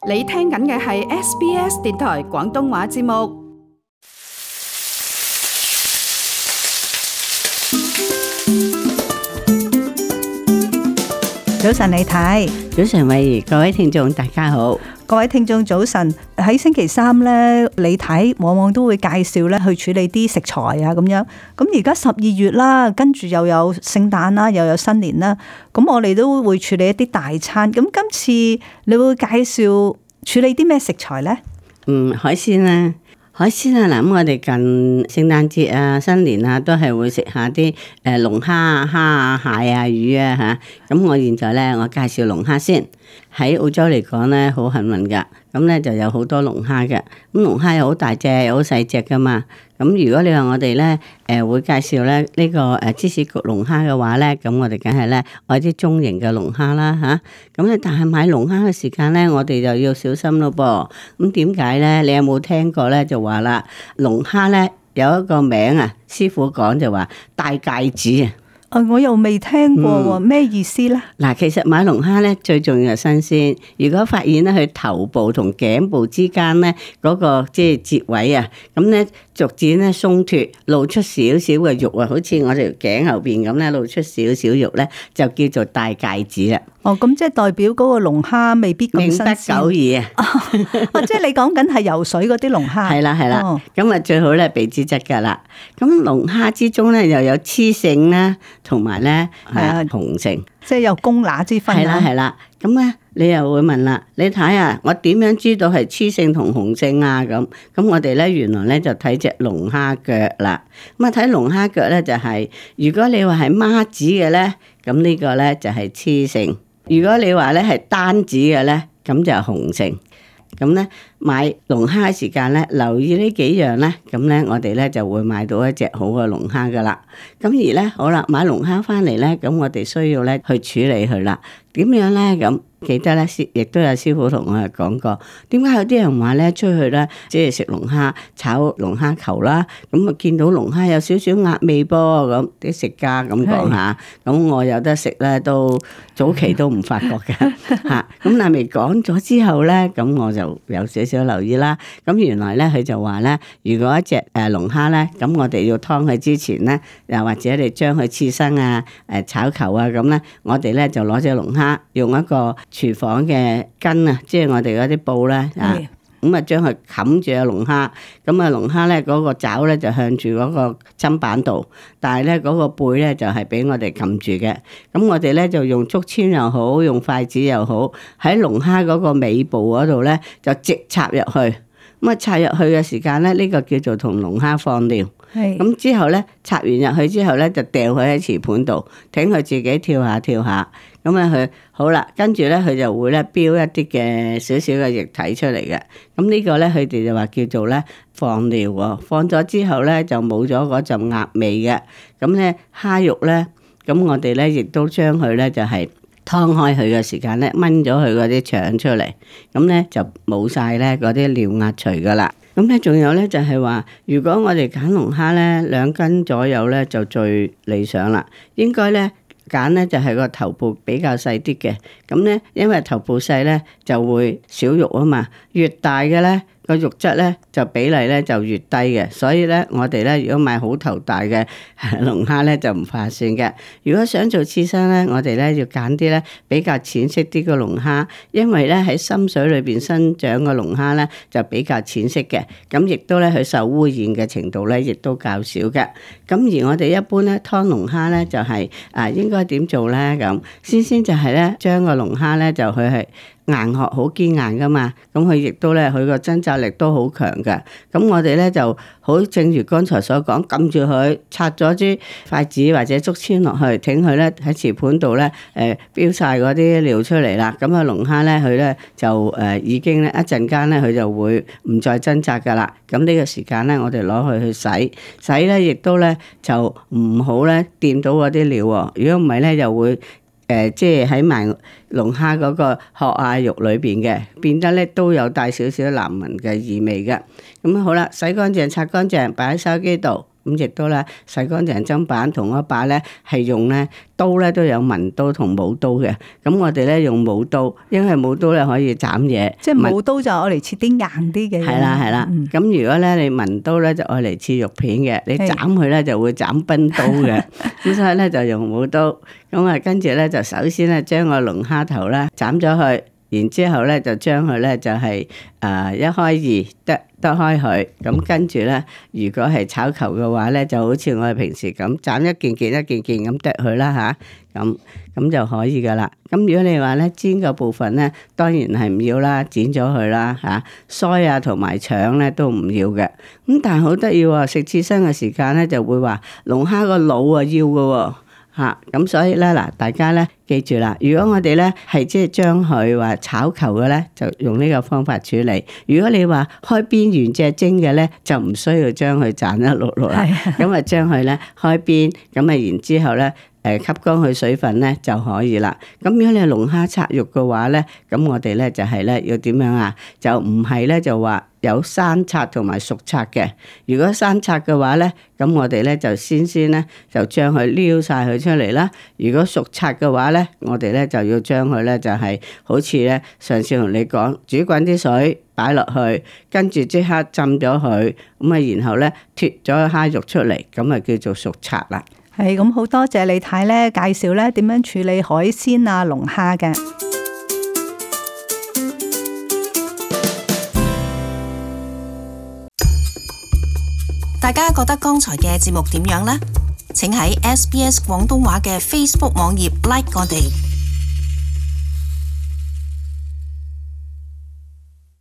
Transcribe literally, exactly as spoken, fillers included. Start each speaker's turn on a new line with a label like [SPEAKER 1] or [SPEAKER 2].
[SPEAKER 1] 你聽緊嘅係 S B S 電台廣東話節目。
[SPEAKER 2] 早晨李太，
[SPEAKER 3] 早晨慧怡，各位聽眾大家好。
[SPEAKER 2] 各位聽眾早晨。喺星期三咧，李太往往都會介紹咧去處理啲食材啊咁樣。咁而家十二月啦，跟住又有聖誕啦，又有新年啦，咁我哋都會處理一啲大餐。咁今次你會介紹處理啲咩食材呢？
[SPEAKER 3] 嗯，海鮮啊。海鮮啊，嗱，咁我哋近聖誕節啊、新年啊，都係會食下啲誒龍蝦啊、蝦啊、蟹啊、魚啊嚇。咁我現在咧，我介紹龍蝦先。喺澳洲嚟講咧，好幸運噶。咁咧就有好多龍蝦嘅。咁龍蝦又好大隻，又好細隻噶嘛。咁如果你話我哋咧誒會介紹咧呢個誒芝士焗龍蝦嘅話咧，咁我哋梗係咧愛啲中型嘅龍蝦啦嚇。咁咧但係買龍蝦嘅時間咧，我哋就要小心咯噃。咁點解咧？你有冇聽過咧？就話啦，龍蝦咧有一個名啊，師傅講就話戴戒指啊。
[SPEAKER 2] 啊！我又未聽過喎，咩、嗯、意思咧？
[SPEAKER 3] 嗱，其實買龍蝦咧最重要係新鮮。如果發現咧佢頭部同頸部之間咧嗰個即係節位啊，咁咧逐漸咧鬆脫，露出少少嘅肉啊，好似我條頸後邊咁咧露出少少肉咧，就叫做戴戒指啦。
[SPEAKER 2] 哦，咁即係代表嗰個龍蝦未必咁新鮮。
[SPEAKER 3] 命不久矣啊！
[SPEAKER 2] 哦，即係你講緊係游水嗰啲龍蝦。係
[SPEAKER 3] 啦係啦，咁啊、哦、最好咧避之則噶啦。咁龍蝦之中咧又有雌性啦，同埋咧係雄性，
[SPEAKER 2] 即係有公乸之分。
[SPEAKER 3] 係啦係啦，咁咧你又會問啦，你睇下我點樣知道係雌性同雄性啊？咁咁我哋咧原來咧就睇隻龍蝦腳啦。咁啊睇龍蝦腳咧就係、是，如果你話係孖子嘅咧，咁呢個咧就係雌性。如果你話咧係單子嘅咧，咁就係雄性。咁咧買龍蝦嘅時間咧，留意呢幾樣咧，咁咧我哋咧就會買到一隻好嘅龍蝦噶啦。咁而咧好啦，買龍蝦翻嚟咧，咁我哋需要咧去處理佢啦。點樣咧？咁記得咧，師亦都有師傅同我哋講過，點解有啲人話咧出去咧，即係食龍蝦炒龍蝦球啦，咁啊見到龍蝦有少少鴨味噃，咁啲食家咁講下，咁是我有得食咧，都早期都唔發覺嘅嚇。咁但係未講咗之後咧，咁我就有少少留意啦。咁原來咧佢就話咧，如果一隻誒龍蝦咧，咁我哋要劏佢之前咧，又或者你將佢刺身啊、誒炒球啊咁咧，我哋咧就攞隻龍蝦。用一個廚房嘅巾啊，即係我哋嗰啲布咧啊，咁啊將佢冚住個龍蝦，咁啊龍蝦咧嗰個爪咧就向住嗰個砧板度，但係咧嗰個背咧就係俾我哋撳住嘅。咁我哋咧就用竹籤又好，用筷子又好，喺龍蝦嗰個尾部嗰度咧就直插入去。咁啊插入去嘅時間咧，呢個叫做同龍蝦放尿。咁之後咧插完入去之後咧，就掉佢喺瓷盤度，等佢自己跳下跳下。咁啊佢好啦，跟住咧佢就會咧飆一啲嘅少少嘅液體出嚟嘅。咁呢個咧佢哋就話叫做咧放尿喎。放咗之後咧就冇咗嗰陣鴨味嘅。咁咧蝦肉咧，咁我哋咧亦都將佢咧就係、是。劏開佢嘅時間咧，掹咗佢嗰啲腸出嚟，咁咧就冇晒咧嗰啲尿壓除噶啦。咁咧仲有咧就係話，如果我哋揀龍蝦咧兩斤左右咧就最理想啦。應該咧揀咧就係個頭部比較細啲嘅，咁咧因為頭部細咧就會少肉啊嘛，越大嘅咧。個肉質咧就比例咧就越低嘅，所以咧我哋咧如果買好頭大嘅龍蝦咧就唔划算嘅。如果想做刺身咧，我哋咧要揀啲咧比較淺色啲嘅龍蝦，因為咧喺深水裏邊生長嘅龍蝦咧就比較淺色嘅，咁亦都咧佢受污染嘅程度咧亦都較少嘅。咁而我哋一般咧劏龍蝦咧就係、是、啊應該點做咧？咁先先就係咧將個龍蝦咧就佢係。硬殼好堅硬噶嘛，咁佢亦都咧，佢個掙扎力都好強嘅。咁我哋咧就好，正如剛才所講，撳住佢，拆咗支筷子或者竹籤落去，挺佢咧喺瓷盤度咧，誒飆晒嗰啲料出嚟啦。咁啊龍蝦咧，佢咧就誒、呃、已經咧一陣間咧，佢就會唔再掙扎噶啦。咁呢個時間咧，我哋攞佢去洗，洗咧亦都咧就唔好咧掂到嗰啲料喎。如果唔係咧，又會。誒、呃，即係喺埋龍蝦嗰個殼啊肉裏邊嘅，變得咧都有帶少少難聞嘅異味嘅。咁好啦，洗乾淨、擦乾淨，擺喺筲箕度。咁亦都咧洗乾淨砧板同一把咧係用咧刀咧都有文刀同武刀嘅。咁我哋咧用武刀，因為武刀咧可以斬嘢，
[SPEAKER 2] 即係武刀就愛嚟切啲硬啲嘅嘢。
[SPEAKER 3] 係啦係啦。咁、嗯、如果咧你文刀咧就愛嚟切肉片嘅，你斬佢咧就會斬冰刀嘅。咁所以咧就用武刀。咁啊跟住咧就首先咧將個龍蝦頭咧斬咗去。然之後咧就將佢咧就係誒一開二剁剁開佢，咁跟住咧如果係炒球嘅話咧，就好似我哋平時咁斬一件件一件件咁剁佢啦吓，咁咁就可以噶啦。咁如果你話咧煎嘅部分咧，當然係唔要啦，剪咗佢啦吓，腮啊同埋腸咧都唔要嘅。咁但係好得意喎，食刺身嘅時間咧就會話龍蝦個腦啊要嘅喎。吓，咁所以咧嗱，大家咧記住啦。如果我哋咧係即係將佢話炒球嘅咧，就用呢個方法處理。如果你話開邊原隻蒸嘅咧，就唔需要將佢斬一碌碌啦。咁啊，將佢咧開邊，咁啊，然之後咧誒吸乾佢水分咧就可以啦。咁如果你係龍蝦拆肉嘅話咧，咁我哋咧就係咧要點樣啊？就唔係咧就話有生拆同埋熟拆嘅。如果生拆嘅話咧，咁我哋咧就先先咧就將佢撩晒佢出嚟啦。如果熟拆嘅話咧，我哋咧就要將佢咧就係好似咧上次同你講，煮滾啲水擺落去，跟住即刻浸咗佢，咁啊然後咧脫咗蝦肉出嚟，咁啊叫做熟拆啦。
[SPEAKER 2] 係咁，好多謝李太咧介紹咧點樣處理海鮮啊龍蝦嘅。
[SPEAKER 4] 大家覺得剛才嘅節目點樣呢？請喺 S B S 廣東話嘅 Facebook 網頁 like 我哋。